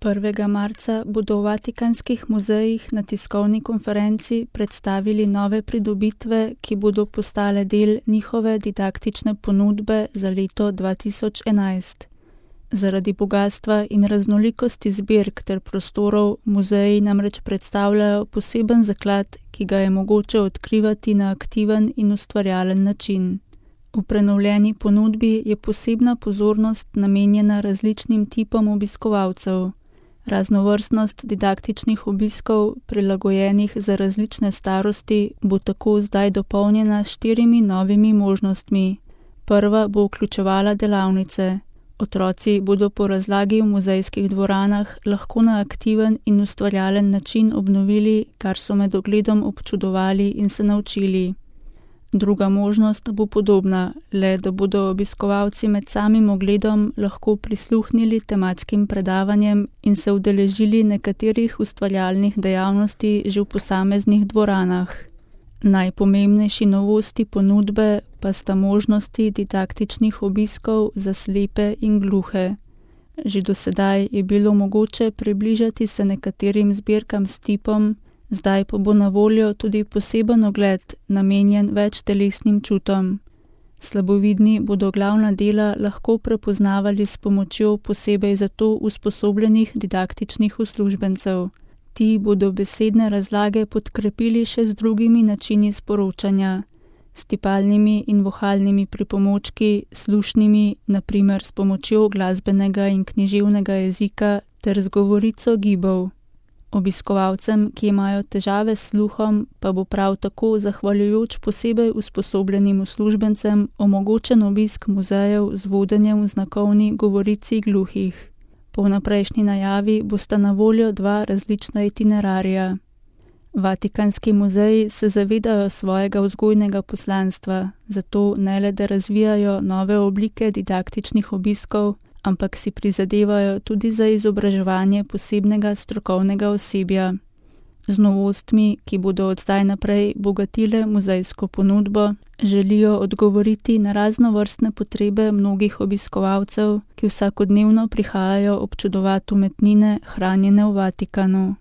1. marca bodo v Vatikanskih muzejih na tiskovni konferenci predstavili nove pridobitve, ki bodo postale del njihove didaktične ponudbe za leto 2011. Zaradi bogastva in raznolikosti zbirk ter prostorov muzeji namreč predstavljajo poseben zaklad, ki ga je mogoče odkrivati na aktiven in ustvarjalen način. V prenovljeni ponudbi je posebna pozornost namenjena različnim tipom obiskovalcev. Raznovrstnost didaktičnih obiskov, prilagojenih za različne starosti, bo tako zdaj dopolnjena s 4 novimi možnostmi. Prva bo vključevala delavnice. Otroci bodo po razlagi v muzejskih dvoranah lahko na aktiven in ustvarjalen način obnovili, kar so med ogledom občudovali in se naučili. Druga možnost bo podobna, le da bodo obiskovalci med samim ogledom lahko prisluhnili tematskim predavanjem in se udeležili nekaterih ustvarjalnih dejavnosti že v posameznih dvoranah. Najpomembnejši novosti ponudbe pa sta možnosti didaktičnih obiskov za slepe in gluhe. Že do sedaj je bilo mogoče približati se nekaterim zbirkam s tipom, zdaj pa bo na voljo tudi poseben ogled, namenjen več telesnim čutom. Slabovidni bodo glavna dela lahko prepoznavali s pomočjo posebej za to usposobljenih didaktičnih uslužbencev. Ti bodo besedne razlage podkrepili še z drugimi načini sporočanja, s tipalnimi in vohalnimi pripomočki, slušnimi, na primer s pomočjo glasbenega in književnega jezika ter z govorico gibov. Obiskovalcem, ki imajo težave s sluhom, pa bo prav tako zahvaljujoč posebej usposobljenim uslužbencem omogočen obisk muzejev z vodenjem v znakovni govorici gluhih. Po vnaprejšnji najavi bosta na voljo 2 različna itinerarija. Vatikanski muzeji se zavedajo svojega vzgojnega poslanstva, zato ne le da razvijajo nove oblike didaktičnih obiskov, ampak si prizadevajo tudi za izobraževanje posebnega strokovnega osebja. Z novostmi, ki bodo od zdaj naprej bogatile muzejsko ponudbo, želijo odgovoriti na raznovrstne potrebe mnogih obiskovalcev, ki vsakodnevno prihajajo občudovati umetnine, hranjene v Vatikanu.